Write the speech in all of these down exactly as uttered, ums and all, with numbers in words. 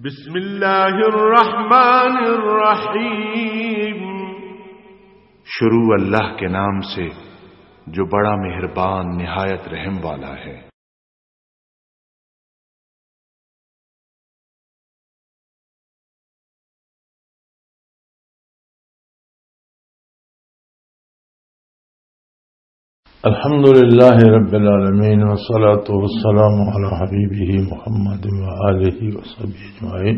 بسم اللہ الرحمن الرحیم۔ شروع اللہ کے نام سے جو بڑا مہربان نہایت رحم والا ہے۔ الحمد لله رب العالمين، والصلاة والسلام على حبيبه محمد وآله وصحبه أجمعين.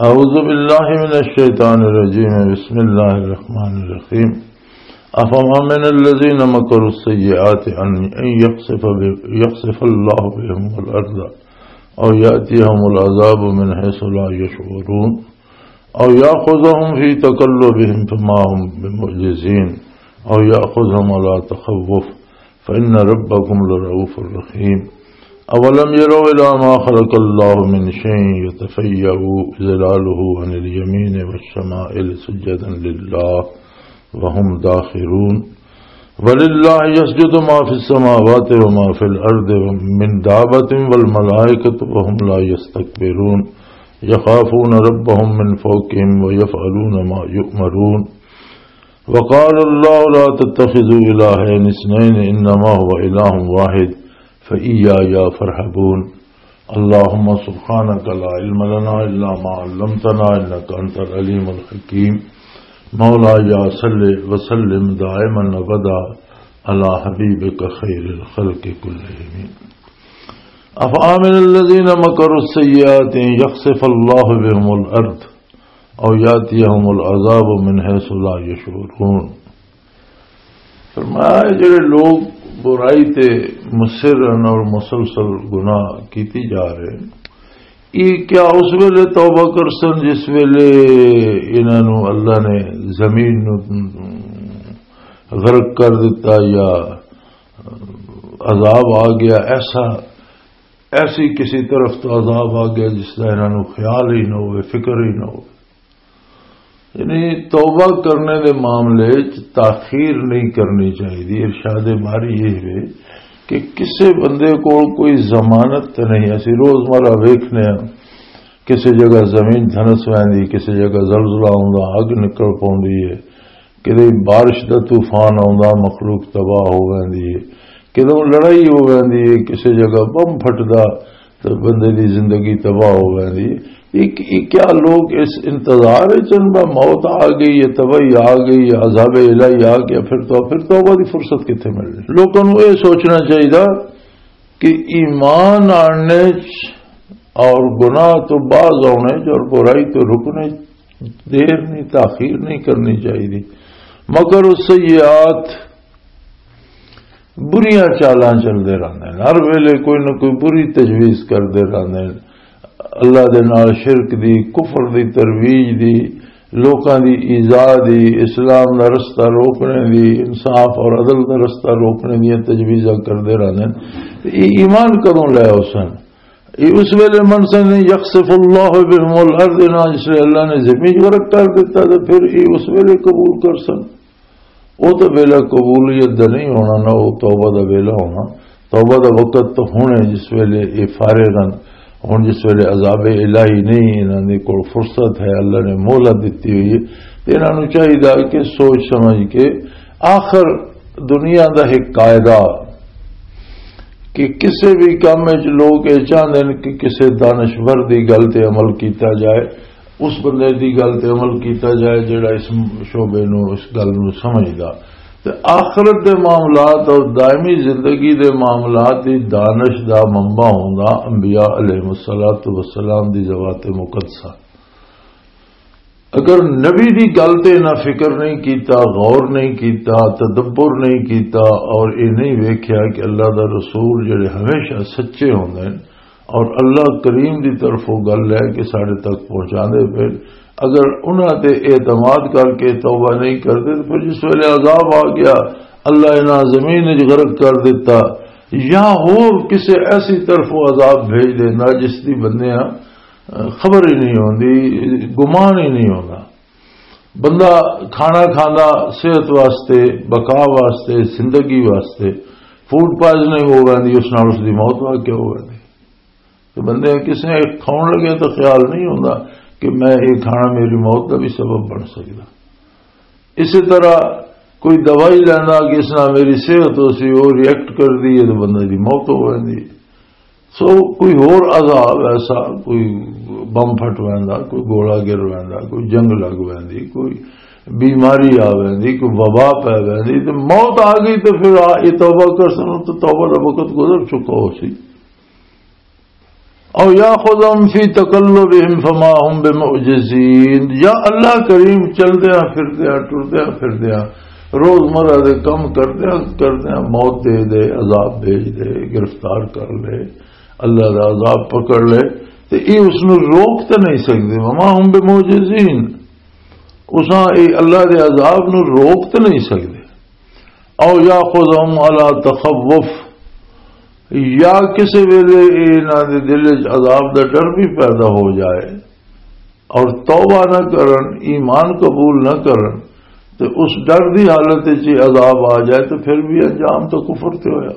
أعوذ بالله من الشيطان الرجيم. بسم الله الرحمن الرحيم. أفأمن الذين مكروا السيئات أن، أن يخسف ب-، يخسف الله بهم الأرض أو يأتيهم العذاب من حيث لا يشعرون أو يأخذهم في تقلبهم فما هم بمعجزين أو يأخذهم على تخوف فإن ربكم لرؤوف رحيم. أولم يروا إلى ما خلق الله من شيء يتفيأ ظلاله عن اليمين والشمائل سجدا لله وهم داخرون. ولله يسجد ما في السماوات وما في الأرض من دابة والملائكة وهم لا يستكبرون يخافون ربهم من فوقهم ويفعلون ما يؤمرون. وقال الله لا تتخذوا إلهين اثنين إنما هو إله واحد فإياي فارهبون. اللهم سبحانك لا علم لنا إلا ما علمتنا إنك أنت العليم الحكيم. مولاي صل وسلم دائما أبدا على حبيبك خير الخلق كلهم. أفأمن الذين مكروا السيئات أن يخسف الله بهم الأرض أو يأتيهم العذاب من حيث لا يشعرون. فرمایا، جڑے لوگ برائی تے مصر ہیں اور مسلسل گناہ کیتی جا رہے ہیں، یہ کیا اس ویلے توبہ کر سن جس ویلے انہاں نوں اللہ نے زمین نوں غرق کر دیتا، یا عذاب آ گیا، ایسا، ایسی کسی طرف تو عذاب آ گیا جس کا انہاں نوں خیال ہی نہ ہوئے، فکر ہی نہ ہوئے؟ یعنی توبہ کرنے دے معاملے چ تاخیر نہیں کرنی چاہیے۔ ارشاد باری یہ ہے کہ کسے بندے کول کوئی ضمانت تے نہیں۔ اسی روزمرہ ویکھنے ہاں، کسے جگہ زمین دھنس ویندی، کسے جگہ زلزلہ آوندا، اگ نکل پوندی ہے، کدے بارش دا طوفان آوندا، مخلوق تباہ ہو ویندی ہے، کدے لڑائی ہو ویندی ہے، کسے جگہ بم پھٹدا، تے بندے دی زندگی تباہ ہو ویندی ہے۔ ایک، ایک کیا لوگ اس انتظار وچ ہن، بس موت آ گئی ہے، تباہی آ گئی ہے، عذاب الہی آ گیا، پھر تو، پھر توبہ دی فرصت کتھے ملنی؟ لوکاں نوں اے سوچنا چاہیدا کہ ایمان آننے چ اور گناہ تو باز آنے چ اور برائی تو رکنے چ دیر نہیں، تاخیر نہیں کرنی چاہیے۔ مگر السیئات، بریاں چالاں چلدے رہندے نے، ہر ویلے کوئی نہ کوئی بری تجویز کردے رہندے نے، اللہ دے نال شرک دی، کفر دی ترویج دی، لوکاں دی ایذا دی، اسلام دا رستہ روکنے دی، انصاف اور عدل دا رستہ روکنے دیاں تجویزاں کردے رہندے نے۔ تے اے ایمان کدوں لے ہو سن؟ اے اس ویلے من سن یخسف اللہ بهم الارض، نہ جس ویلے اللہ نے زمین غرق کر دیتا، تے پھر اے اس ویلے قبول کر سن؟ وہ تو ویلا قبولیت دا نہیں ہونا، نہ وہ توبہ دا ویلا ہونا۔ توبہ دا وقت تو ہن ہے، جس ویلے یہ فارغ ہن۔ ہن جس ویلے عذاب الہی نہیں، انہاں دے کول فرصت ہے، اللہ نے مہلت دتی ہوئی ہے، تے انہاں نوں چاہیدا کہ سوچ سمجھ کے، آخر دنیا دا ایک قاعدہ کہ کسے بھی کام وچ لوگ یہ چاہندے نے کہ کسے دانشور دی گل تے عمل کیتا جائے، اس بندے دی گل تے عمل کیتا جائے جڑا اس شعبے نو، اس گل نو سمجھدا۔ تے آخرت دے معاملات اور دائمی زندگی دے معاملات دی دانش دا منبع ہوندا انبیاء علیہ الصلوۃ والسلام دی ذوات مقدسہ۔ اگر نبی دی گل تے نہ فکر نہیں کیتا، غور نہیں کیتا، تدبر نہیں کیتا اور یہ نہیں ویکھیا کہ اللہ دا رسول جڑے ہمیشہ سچے ہوندے نے، اور اللہ کریم دی طرفوں گل لے کے ساڈے تک پہنچاندے پئے۔ اگر انہاں تے اعتماد کر کے توبہ نہیں کردے، تو پھر جس ویلے عذاب آ گیا، اللہ انہاں زمین وچ غرق کر دیتا، یا ہور کسے ایسی طرفوں عذاب بھیج دینا جس دی بندیاں، اہ، خبر ہی نہیں ہوندی، گمان ہی نہیں ہوندا۔ بندہ کھانا کھاندا صحت واسطے، بقا واسطے، زندگی واسطے، فوڈ پوائزننگ ہو ویندی، اس نال اس دی موت واقع ہو ویندی۔ تو بندے کسی نے کھاؤن لگے تو خیال نہیں ہوندا کہ میں یہ کھانا میری موت دا بھی سبب بن سکدا۔ اسی طرح کوئی دوائی لینا کہ اس نال میری صحت ہو سی، وہ ریئیکٹ کر دی ہے تو بندے دی موت ہو ویندی ہے۔ سو کوئی ہور عذاب ایسا، کوئی بم پھٹ ویندا، کوئی گولا گر ویندا، کوئی جنگ لگ ویندی، کوئی بیماری آ ویندی، کوئی وبا پی ویندی، تے موت آ گئی تے پھر آ، یہ توبہ کر سنو تو توبہ دا وقت گزر چکا ہو سی۔ او یاخذہم فی تقلبہم فما ہم بمعجزین، یا اللہ کریم چلدیاں پھردیاں، ٹردیاں پھردیاں، روزمرہ دے کم کردیاں کردیاں موت دے دے، عذاب بھیج دے، گرفتار کر لے، اللہ دا عذاب پکڑ لے، تے یہ اس نو روک تے نہیں سکدے۔ وما ہم بمعجزین، اساں اے اللہ دے عذاب نو روک تے نہیں سکدے۔ او یاخذہم علی تخوف، یا کسے ویلے اے انہاں دے دل وچ عذاب دا ڈر بھی پیدا ہو جائے اور توبہ نہ کرن، ایمان قبول نہ کرن، تے اس ڈر دی حالت وچ ہی عذاب آ جائے، تے پھر بھی انجام تو کفر تے ہویا۔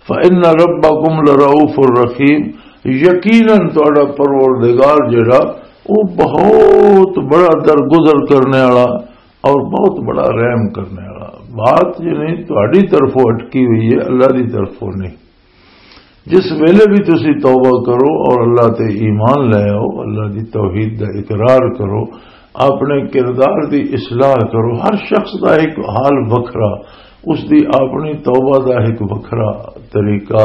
فَإِنَّ رَبَّكُمْ لَرَءُوفٌ رَحِيمٌ، یقیناً تہاڈا پروردگار جڑا، وہ بہت بڑا درگزر کرنے والا اور بہت بڑا رحم کرنے والا۔ بات یعنی تہاڈی طرفوں اٹکی ہوئی ہے، اللہ دی طرفوں نہیں۔ جس ویلے بھی تسی توبہ کرو اور اللہ تے ایمان لے آؤ، اللہ دی توحید دا اقرار کرو، اپنے کردار دی اصلاح کرو۔ ہر شخص دا ایک حال وکھرا، اس دی اپنی توبہ دا ایک وکھرا طریقہ۔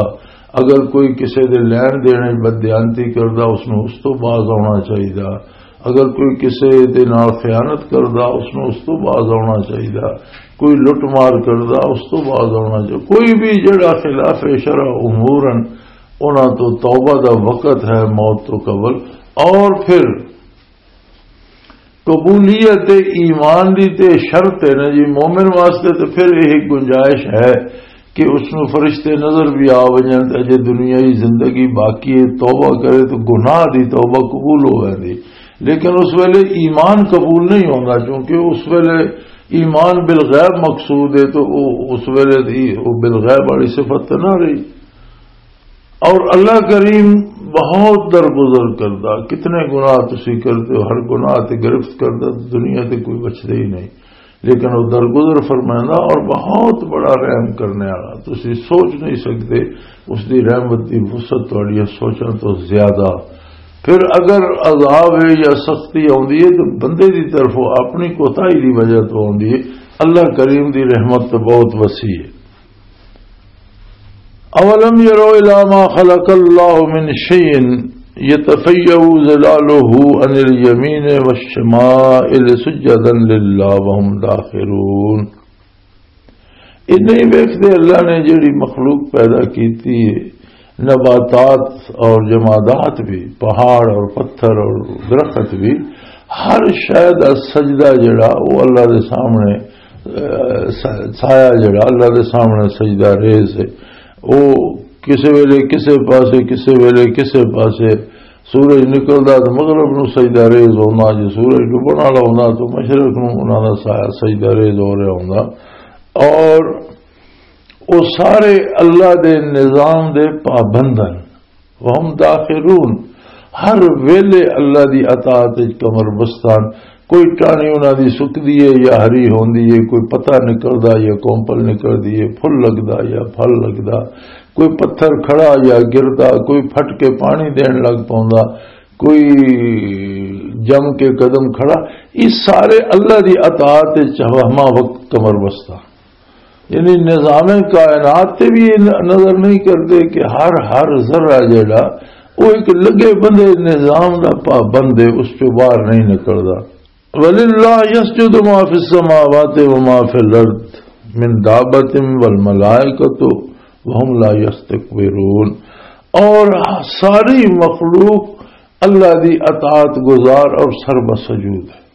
اگر کوئی کسے دے لین دین وچ بددیانتی کردا، اس نوں اس تو باز آنا چاہیدا۔ اگر کوئی کسے دے نال خیانت کردا، اس نوں اس تو باز آنا چاہیدا۔ کوئی لٹ مار کردا، اس تو باز آنا چاہیدا۔ کوئی بھی جڑا خلاف شرع امور ہن، انہاں تو توبہ دا وقت ہے موت تو قبل۔ اور پھر قبولیت ایمان دی تے شرط ہے نا جی، مومن واسطے تے پھر یہ گنجائش ہے کہ اس نوں فرشتے نظر بھی آ وجن تے اجے دنیائی زندگی باقی ہے، توبہ کرے تو گناہ دی توبہ قبول ہو ویندی۔ لیکن اس ویلے ایمان قبول نہیں ہوندا، کیونکہ اس ویلے ایمان بالغیب مقصود ہے، تو او اس ویلے دی او بالغیب والی صفت تے نہ رہی۔ اور اللہ کریم بہت درگزر کردا، کتنے گناہ تسی کردے ہو، ہر گناہ تے گرفت کردا، دنیا تے کوئی بچدا ہی نہیں، لیکن وہ درگزر فرمائندا اور بہت بڑا رحم کرنے والا، تسی سوچ نہیں سکتے اس دی رحمت دی وسعت تہاڈیاں سوچاں تو زیادہ۔ پھر اگر عذاب ہے یا سختی آوندی ہے تو بندے دی طرفوں اپنی کوتاہی دی وجہ تو آوندی ہے، اللہ کریم دی رحمت تو بہت وسیع ہے۔ اولم يروا الى ما خلق الله من شيء يتفيأ ظلاله عن اليمين والشمائل سجدا لله وهم داخرون۔ یہ نہیں ویکھدے اللہ نے جڑی مخلوق پیدا کیتی ہے، نباتات اور جمادات بھی، پہاڑ اور پتھر اور درخت بھی، ہر شے دا سجدہ جڑا وہ اللہ دے سامنے، اے، سا-، سایہ جڑا اللہ دے سامنے سجدہ ریز ہے۔ وہ کسے ویلے کسے پاسے، کسے ویلے کسے پاسے، سورج نکلدا تو مغرب نو سجدہ ریز ہوندا، جے سورج ڈبن والا ہوندا تو مشرق نو انہاں دا سایہ سجدہ ریز ہو رہا ہوندا۔ اور وہ سارے اللہ دے نظام دے پابند ہیں۔ وهم داخرون، ہر ویلے اللہ دی اطاعت وچ کمر بستان۔ کوئی ٹاہنی انہاں دی سکدی ہے یا ہری ہوندی ہے، کوئی پتا نکلدا یا کومپل نکلدی ہے، پھل لگدا یا پھل لگدا، کوئی پتھر کھڑا یا گردا، کوئی پھٹ کے پانی دین لگ پوندا، کوئی جم کے قدم کھڑا۔ یہ سارے اللہ دی اطاعت وچ ہمہ وقت کمر بستان۔ یعنی نظام کائنات تے بھی یہ ن-، نظر نہیں کرتے کہ ہر، ہر ذرہ جڑا وہ ایک لگے بندے نظام دا پابند ہے، اس چوں باہر نہیں نکلدا۔ وللہ یسجد ما فی السماوات و ما فی الارض من دابۃ والملائکۃ وهم لا یستکبرون۔ اور ساری مخلوق اللہ دی اطاعت گزار اور سر بسجود ہے۔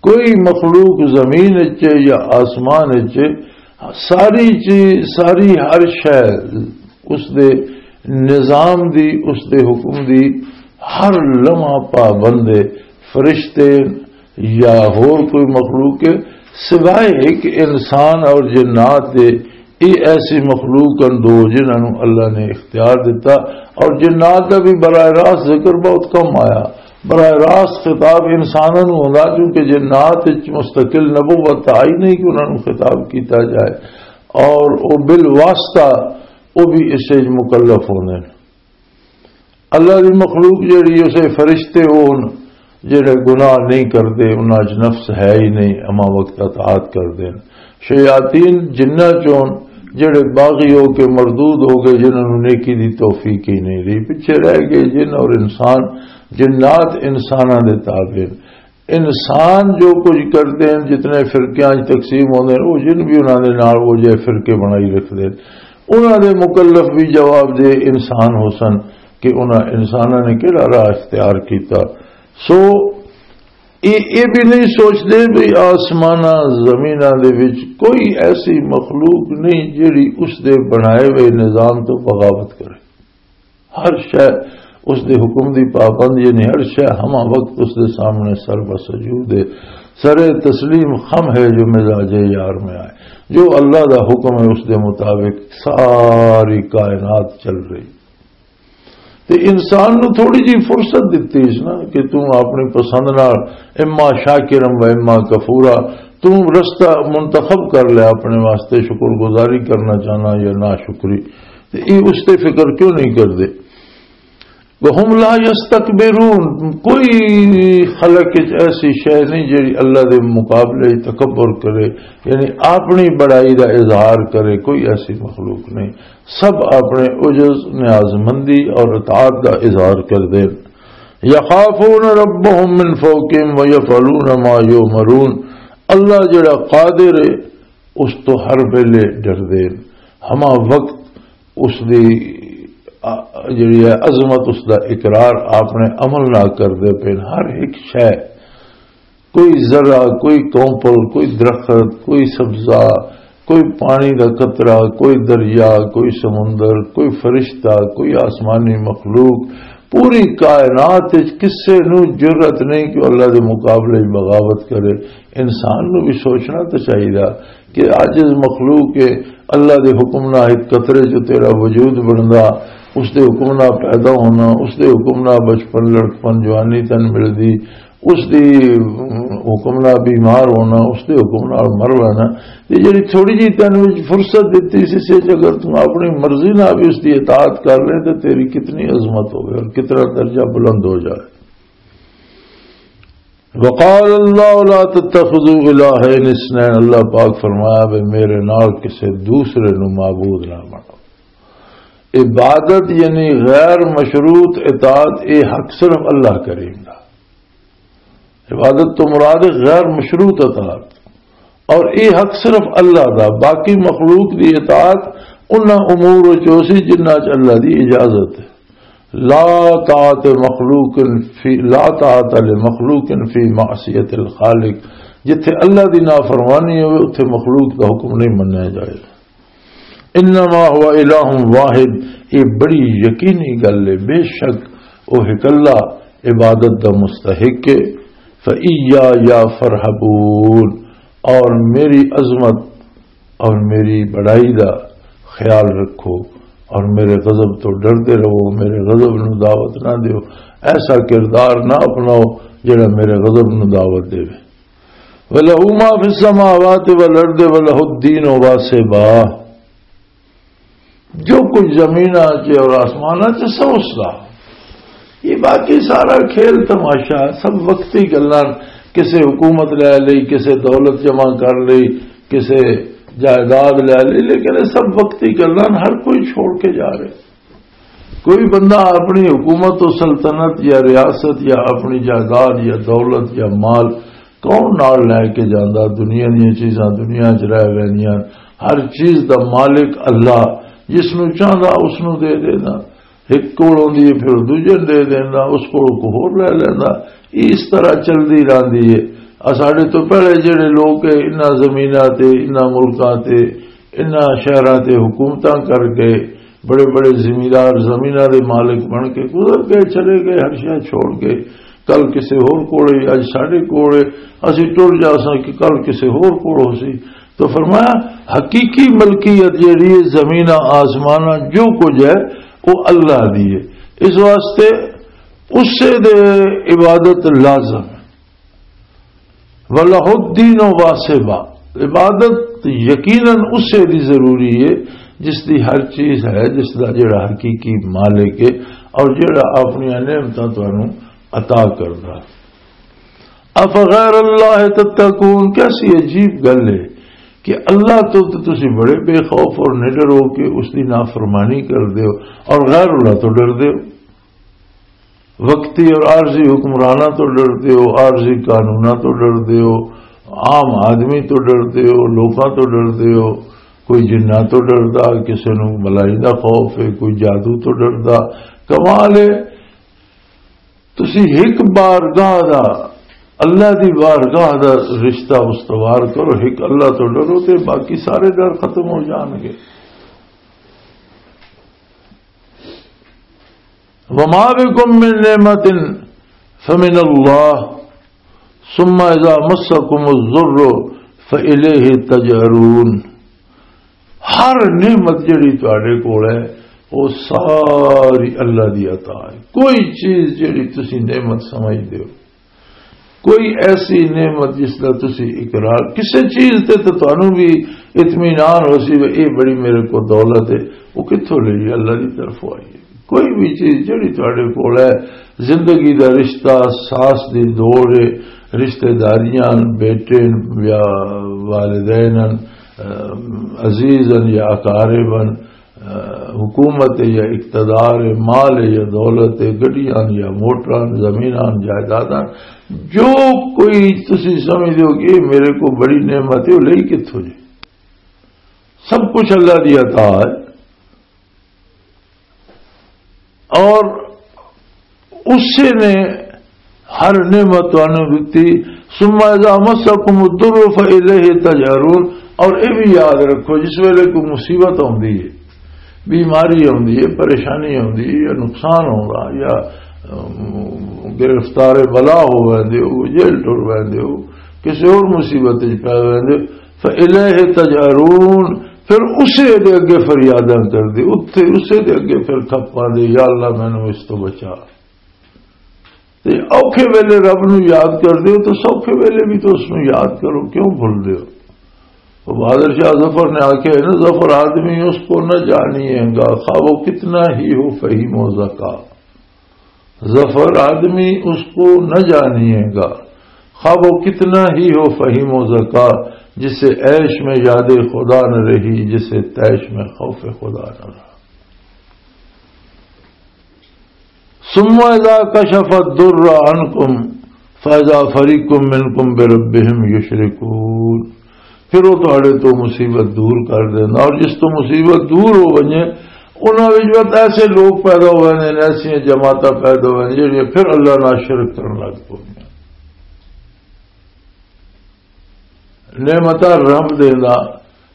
کوئی مخلوق زمین وچ یا آسمان وچ، ساری چیز، ساری ہر شے اس دے نظام دی، اس دے حکم دی ہر لمحہ پابند ہے۔ فرشتے یا ہور کوئی مخلوق ہے، سوائے ایک انسان اور جنات دے، یہ ایسی مخلوق ہن دو جنہاں نوں اللہ نے اختیار دتا، اور جنات دا بھی براہ راست ذکر بہت کم آیا۔ براہ راست خطاب انساناں نوں ہوندا، کیونکہ جنات وچ مستقل نبوت آئی نہیں کہ انہاں نوں خطاب کیتا جائے، اور او بالواسطہ او بھی اس وچ مکلف ہوندے نے۔ اللہ دی مخلوق جڑی، اسے فرشتے، وہ ہن جڑے گناہ نہیں کردے، انہاں چ نفس ہے ہی نہیں، ہما وقت اطاعت کردے نے۔ شیاطین جنہ چون جڑے باغی ہو کے مردود ہو گئے، جنہاں نوں نیکی دی توفیق ہی نہیں رہی، پیچھے رہ گئے۔ جن اور انسان، جنات انساناں دے تابع نے۔ انسان جو کچھ کردے ہیں، جتنے فرقیاں وچ تقسیم ہوندے ہیں، وہ جن بھی انہاں دے نال وہ جے فرقے بنائی رکھدے ہیں، انہاں دے مکلف بھی جواب دے انسان ہو سن کہ انہاں انساناں نے کہڑا راہ اختیار کیتا۔ سو یہ یہ بھی نہیں سوچتے بھی آسماناں زمیناں دے وچ کوئی ایسی مخلوق نہیں جڑی اس دے بنائے ہوئے نظام تو بغاوت کرے۔ ہر شے اس دے حکم دی پابند، یعنی ہر شے ہما وقت اس دے سامنے سر بسجود ہے، سر تسلیم خم ہے، جو مزاج یار میں آئے، جو اللہ دا حکم ہے اس دے مطابق ساری کائنات چل رہی۔ تے انسان نو تھوڑی جی فرصت دتی اس نا کہ تم اپنی پسند نال اما شاکرم و اما کفورا، تم رستہ منتخب کر لیا اپنے واسطے، شکر گزاری کرنا چاہنا یا ناشکری۔ تے یہ اس تے فکر کیوں نہیں کردے؟ وَهُمْ لَا يَسْتَكْبِرُونَ، کوئی خلق وچ ایسی شے نہیں جڑی اللہ دے مقابلے وچ تکبر کرے، یعنی اپنی بڑائی دا اظہار کرے، کوئی ایسی مخلوق نہیں۔ سب اپنے عجز، نیاز مندی اور اطاعت دا اظہار کردے۔ يَخَافُونَ رَبَّهُمْ مِنْ فَوْقِهِمْ وَيَفْعَلُونَ مَا يُؤْمَرُونَ، اللہ جڑا قادر ہے، اس تو ہر ویلے ڈردے۔ ہما وقت اس دی، آ، جڑی ہے عظمت، اس دا اقرار اپنے عمل نال کردے پے۔ ہر ایک شے، کوئی ذرہ، کوئی کونپل، کوئی درخت، کوئی سبزہ، کوئی پانی دا قطرہ، کوئی دریا، کوئی سمندر، کوئی فرشتہ، کوئی آسمانی مخلوق، پوری کائنات وچ کسے نوں جرأت نہیں کہ اللہ دے مقابلے وچ بغاوت کرے۔ انسان نوں بھی سوچنا تو چاہیے کہ عاجز مخلوق ہے، اللہ دے حکم نہ ایک قطرے چ تیرا وجود بندا، اس دے حکم نہ پیدا ہونا، اس دے حکم نہ بچپن، لڑکپن، جوانی تن ملدی، اس دی حکم نہ بیمار ہونا، اس دے حکم نہ مر لینا۔ یہ جڑی تھوڑی جی تین وچ فرصت دتی سی، سے اگر تم اپنی مرضی نہ بھی اس دی اطاعت کر لے تو تیری کتنی عظمت ہوگی اور کتنا درجہ بلند ہو جائے۔ وقال اللہ لا تتخذوا الہین اثنین، اللہ پاک فرمایا بھی میرے نال کسے دوسرے نو معبود نہ بناؤ۔ عبادت یعنی غیر مشروط اطاعت، اے حق صرف اللہ کریم دا۔ عبادت تو مراد ہے غیر مشروط اطاعت، اور اے حق صرف اللہ دا، باقی مخلوق دی اطاعت انہاں امور وچ ہو سی جنہاں چ اللہ دی اجازت ہے۔ لا طاعت مخلوق فی، لا طاعت لمخلوق فی معصیت الخالق، جتھے اللہ دی نافرمانی ہوئے اتھے مخلوق دا حکم نہیں منیا جائے۔ انما هو الہ واحد، یہ بڑی یقینی گل ہے، بے شک وہ اکلا عبادت دا مستحق ہے۔ فَإِيَّايَ فَارْهَبُونِ، اور میری عظمت اور میری بڑائی دا خیال رکھو، اور میرے غضب تو ڈردے رہو، میرے غضب نو دعوت نہ دیو۔ ایسا کردار نہ اپناؤ جڑا میرے غضب نو دعوت دے۔ وَلَهُ مَا فِي السَّمَاوَاتِ وَالْأَرْضِ وَلَهُ الدِّينُ وَاصِبًا، جو کچھ زمیناں چ اور آسماناں چ سب اس دا۔ یہ باقی سارا کھیل تماشا، سب وقتی گلاں۔ کسے حکومت لے لئی، کسے دولت جمع کر لئی، کسے جائیداد لے لئی، لیکن یہ سب وقتی گلاں، ہر کوئی چھوڑ کے جا رہے۔ کوئی بندہ اپنی حکومت و سلطنت یا ریاست یا اپنی جائیداد یا دولت یا مال کون نال لے کے جاندا؟ دنیا دیاں چیزاں دنیا چ رہ ویندیاں۔ ہر چیز دا مالک اللہ، جس نو چاہندا اس نو دے دیندا۔ ایک کول ہوندی ہے، پھر دوجے نوں دے دیندا، اس کول کوئی ہور لے لیندا۔ یہ اس طرح چلدی رہندی ہے۔ آ ساڈے تو پہلے جڑے لوگ ہے، انہاں زمیناں تے، انہاں ملکاں تے، انہاں شہراں تے حکومتاں کر کے بڑے بڑے زمیندار زمیناں دے مالک بن کے گزر گئے، چلے گئے، ہر شے چھوڑ کے۔ کل کسے ہور کول ہے، اج ساڈے کول ہے، اسی ٹر جاساں کہ کل کسے ہور کول ہو سی۔ تو فرمایا، حقیقی ملکیت جیڑی ہے، زمیناں، آسماناں، جو کچھ ہے، وہ اللہ دی ہے۔ اس واسطے اسے دے عبادت لازم ہے۔ وَلَهُ الدِّينُ وَاسِبًا، عبادت یقیناً اسے دی ضروری ہے، جس دی ہر چیز ہے، جس دا جڑا حقیقی مالک ہے اور جڑا اپنی نعمتاں تانوں عطا کردا۔ اَفَغَيْرَ اللَّهِ تَتَّقُونَ، کیسی عجیب گل ہے کہ اللہ تو، تو تسی بڑے بے خوف اور نڈر ہو کے اس دی نافرمانی کر دیو اور غیر اللہ تو ڈر دیو۔ وقتی اور عارضی حکمراناں تو ڈردے ہو، عارضی قانوناں تو ڈردے ہو، عام آدمی تو ڈردے ہو، لوکاں تو ڈردے ہو۔ کوئی جناں تو ڈردا، کسے نوں ملائی دا خوف ہے، کوئی جادو تو ڈردا۔ کمال ہے، تسی ہک بارگاہ دا، اللہ دی بارگاہ دا رشتہ استوار کرو، ہک اللہ تو ڈرو تے باقی سارے ڈر ختم ہو جان گے۔ وما بكم من نعمة فمن الله ثم إذا مسكم الضر فإليه تجأرون۔ ہر نعمت جڑی تواڈے کول ہے، وہ ساری اللہ دی عطا ہے۔ کوئی چیز جڑی تسی نعمت سمجھدے ہو، کوئی ایسی نعمت جس دا تسی اقرار، کسے چیز تے تے تانوں بھی اطمینان ہو سی، "اے بڑی میرے کو دولت ہے، وہ کتھوں لئی؟ اللہ دی طرفوں آئی ہے۔" کوئی بھی چیز جڑی تواڈے کول ہے، زندگی دا رشتہ، ساس دی دوڑ ہے، رشتہ داریاں، بیٹے یا والدین، عزیز یا اقارب، حکومت ہے یا اقتدار ہے، مال ہے یا دولت ہے، گڈیاں یا موٹراں، زمیناں، جائیداداں، جو کوئی تسی سمجھدے ہو کہ یہ میرے کو بڑی نعمت ہے، وہ لئی کتھوں جی؟ سب کچھ اللہ دی عطا ہے۔ اور اسے نے ہر نعمت تانوں دتی۔ ثم اذا مسکم الضر فالیہ تجأرون۔ اور یہ بھی یاد رکھو، جس ویلے کوئی مصیبت آندی ہے، بیماری آندی ہے، پریشانی آندی ہے، یا نقصان ہوندا، یا، ام، گرفتار بلا ہو ویندے ہو، جیل ٹر ویندے ہو، کسی اور مصیبت وچ پے ویندے ہو، فالیہ تجأرون، پھر اسے دے اگے فریاداں کر دے، اتھے اسے دے اگے پھر کھپاں دے، "یا اللہ، مینوں اس تو بچا۔" تے اوکھے ویلے رب نو یاد کر دیو، تو سوکھے ویلے بھی تو اس نو یاد کرو، کیوں بھول دیو؟ وہ بہادر شاہ ظفر نے آکھیا ہے نا، "ظفر آدمی اس کو نہ جانیے گا، خواہ وہ کتنا ہی ہو فہیم و ذکا۔" ظفر آدمی اس کو نہ جانیے گا، خواہ وہ کتنا ہی ہو فہیم و ذکا، جسے عیش میں یاد خدا نہ رہی، جسے طیش میں خوف خدا نہ رہا۔ ثم اذا کشف الضر عنکم فاذا فریق منکم بربہم یشرکون۔ پھر وہ تہاڈے تو مصیبت دور کر دینا، اور جس تو مصیبت دور ہو ونجے، انہاں وچ وقت ایسے لوگ پیدا ہو ویندے نے، ایسیاں جماعتاں پیدا ہو ویندیاں جڑیاں پھر اللہ نال شرک کرن لگ پوندیاں۔ نعمتاں رب دیندا،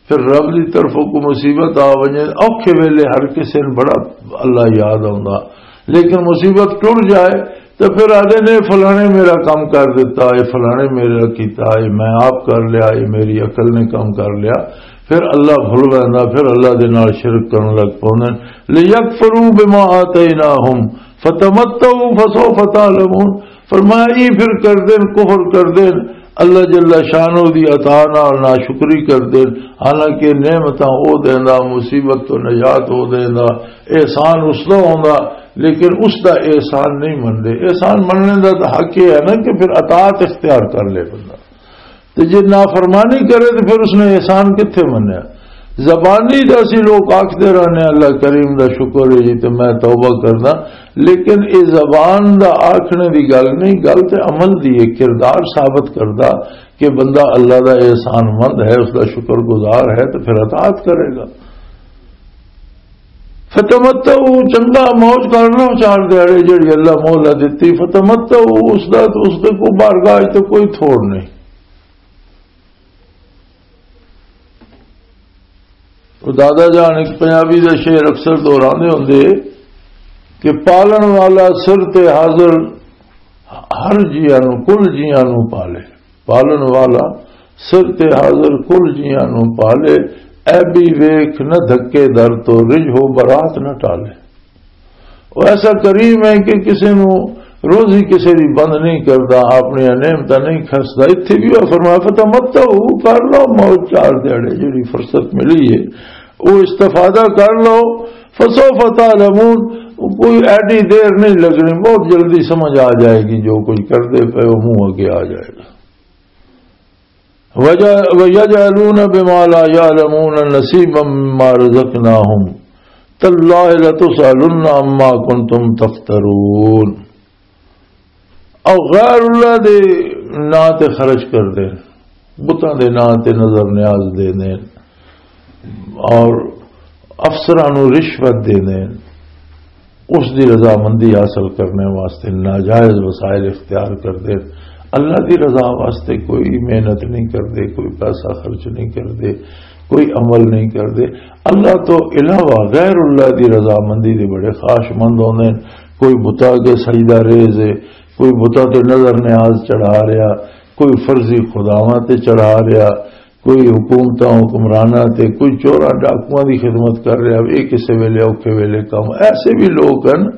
پھر رب دی طرفوں کوئی مصیبت آ ونجے، اوکھے ویلے ہر کسے نوں بڑا اللہ یاد آوندا، لیکن مصیبت ٹر جائے تے پھر آدھے نے، "فلانے میرا کم کر دیتا، اے فلانے میرا کیتا، اے میں آپ کر لیا، اے میری عقل نے کم کر لیا۔" پھر اللہ بھل ویندا، پھر اللہ دے نال شرک کرن لگ پوندے۔ "لیکفروا بما آتیناہم فتمتعوا فسوف تعلمون۔" فرمایا، یہ پھر کر دین، کفر کر دین، اللہ جل شانہ دی عطا نال ناشکری کر دین۔ حالانکہ نعمتاں او دیندا، مصیبت تو نجات او دیندا، احسان اس دا ہوندا، لیکن اس دا احسان نہیں مندے۔ احسان مننے دا تو حق یہ ہے نا کہ پھر اطاعت اختیار کر لے بندہ۔ تے جے نافرمانی کرے تے پھر اس نے احسان کتھے منیا؟ زبانی تے اسی لوگ آکھدے رہنے، "اللہ کریم دا شکر ہے جی تے میں توبہ کردا"، لیکن اے زبان دا آکھنے دی گل نہیں، گل تے عمل دی ہے، کردار ثابت کردا کہ بندہ اللہ دا احسان مند ہے، اس دا شکر گزار ہے، تے پھر اطاعت کرے گا۔ فتمتعوا، چنگا موج کر لو چار دیہاڑے جڑی اللہ مولا دتی، فتمتعوا، اس دا، اس دے کو بارگاہ تے کوئی تھوڑ نہیں۔ وہ دادا جان ایک پنجابی دا شعر اکثر دہراندے ہوندے کہ پالن والا سر تے حاضر، ہر جیاں نو، کل جیاں نو پالے۔ پالن والا سر تے حاضر کل جیاں نو پالے، اے بھی ویکھ نہ دھکے در تو رجھ ہو برات نہ ٹالے۔ وہ ایسا کریم ہے کہ کسی نو روزی کسی دی بند نہیں کردا، اپنی نعمتاں نہیں کھسدا۔ اتھے بھی وہ فرمایا، "فتمتعوا"، کر لو موج چار دیہاڑے، جڑی فرصت ملی ہے وہ استفادہ کر لو۔ "فسوف تعلمون"، کوئی ایڈی دیر نہیں لگنی، بہت جلدی سمجھ آ جائے گی، جو کچھ کردے پے ہو منہ اگے آ جائے گا۔ وَيَجْعَلُونَ بِمَا لَا يَعْلَمُونَ نَصِيبًا مِّمَّا رَزَقْنَاهُمْ تَاللَّهِ لَتُسْأَلُنَّ عَمَّا كُنتُمْ تَفْتَرُونَ۔ او غیر اللہ دے ناں تے خرچ کر دے، بتاں دے ناں تے نظر نیاز دے دے، اور افسراں نوں رشوت دے دے، اس دی رضامندی حاصل کرنے واسطے ناجائز وسائل اختیار کر دے۔ اللہ دی رضا واسطے کوئی محنت نہیں کر دے، کوئی پیسہ خرچ نہیں کر دے، کوئی عمل نہیں کر دے۔ اللہ تو علاوہ غیر اللہ دی رضامندی دے بڑے خواہش مند ہوندے نے۔ کوئی بتا کے سجدہ ریز ہے، کوئی بتا تے نظر نیاز چڑھا رہا، کوئی فرضی خداواں تے چڑھا رہا، کوئی حکومتاں حکمراناں تے، کوئی چوراں ڈاکواں دی خدمت کر رہا، یہ کسے ویلے اوکھے ویلے کم۔ ایسے بھی لوگ ہیں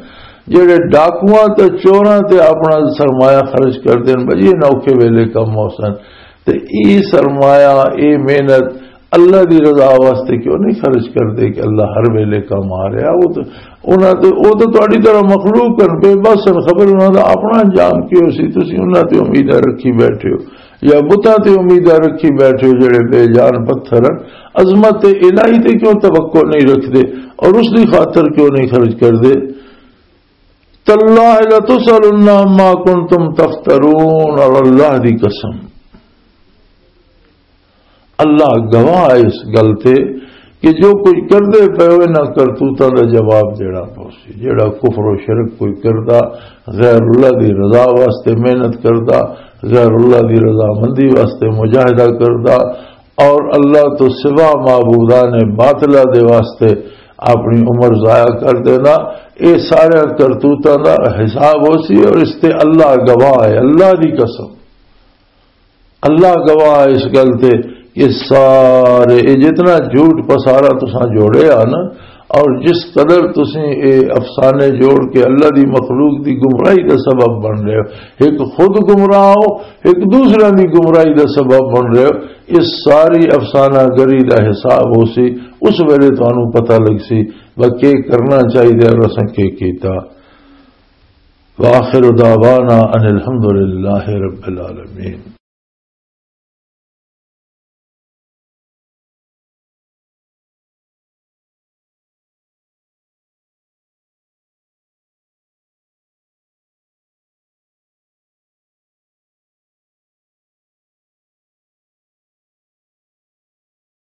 جڑے ڈاکواں تے چوراں تے اپنا سرمایہ خرچ کر دین، بھئی یہ نہ اوکھے ویلے کم ہو سن۔ تے یہ سرمایہ، یہ محنت اللہ دی رضا واسطے کیوں نہیں خرچ کردے کہ اللہ ہر ویلے کم آ رہا؟ وہ تو، انہاں تے، وہ تو تہاڈی طرح مخلوق ہیں، بے بس ہیں، خبر انہاں دا اپنا انجام کی ہو سی، تسی انہاں تے امیداں رکھی بیٹھے ہو۔ یا بتاں تے امیداں رکھی بیٹھے ہو جڑے بے جان پتھر ہن۔ عظمت الہی تے کیوں توقع نہیں رکھدے اور اس دی خاطر کیوں نہیں خرچ کردے؟ تاللہ لتسألن عما کنتم تفترون، اور اللہ دی قسم، اللہ گواہ ہے اس گل تے کہ جو کچھ کردے پئے ہو، انہاں کرتوتاں دا جواب دینا پوسی۔ جیڑا کفر و شرک کوئی کردا، غیر اللہ دی رضا واسطے محنت کردا، غیر اللہ دی رضامندی واسطے مجاہدہ کردا، اور اللہ تو سوا معبودان باطلہ دے واسطے اپنی عمر ضائع کر دینا، اے سارے کرتوتاں دا حساب ہو سی، اور اس تے اللہ گواہ ہے، اللہ دی قسم۔ اللہ گواہ ہے اس گل تے کہ سارے، اے جتنا جھوٹ پسارا تساں جوڑے آ نا، اور جس قدر تسیں اے افسانے جوڑ کے اللہ دی مخلوق دی گمراہی دا سبب بن رہے ہو، ایک خود گمراہ ہو، ایک دوسرے دی گمراہی دا سبب بن رہے ہو، اس ساری افسانہ گری دا حساب ہو سی، اس ویلے تانوں پتہ لگ سی کہ کرنا چاہیے اور اساں کی کیتا۔ وآخر دعوانا ان الحمد للہ رب العالمین۔